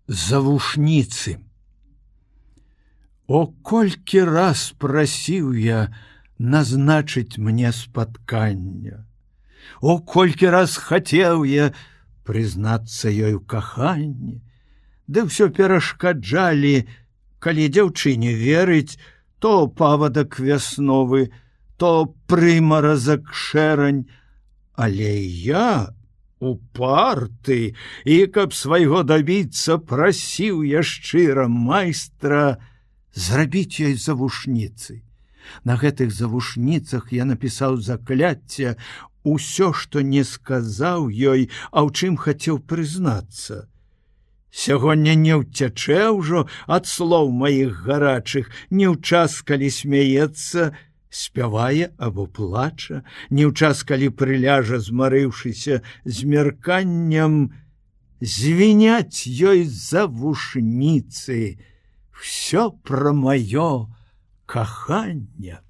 Завушніцы. О, колькі раз прасіў я назначыць мне спаткання. О, колькі раз хацеў я прызнацца ёй у каханні. Ды ўсё перашкаджалі, калі дзяўчыне верыць, то павадак вясновы, то прымаразак шэрань. Але я упарты, і каб свайго дабіцца, прасіў я шчыра майстра зрабіць ёй завушніцы. На гэтых завушніцах я напісаў закляцце, усё, што не сказаў ёй, а ў чым хацеў прызнацца. Сягоння не ўцячэ ўжо ад слоў маіх гарачых, не ў час, калі смяецца, спявае або плача, не ў час, калі прыляжа, змарыўшыся змярканнем, звіняць ёй завушніцы, всё пра маё каханне.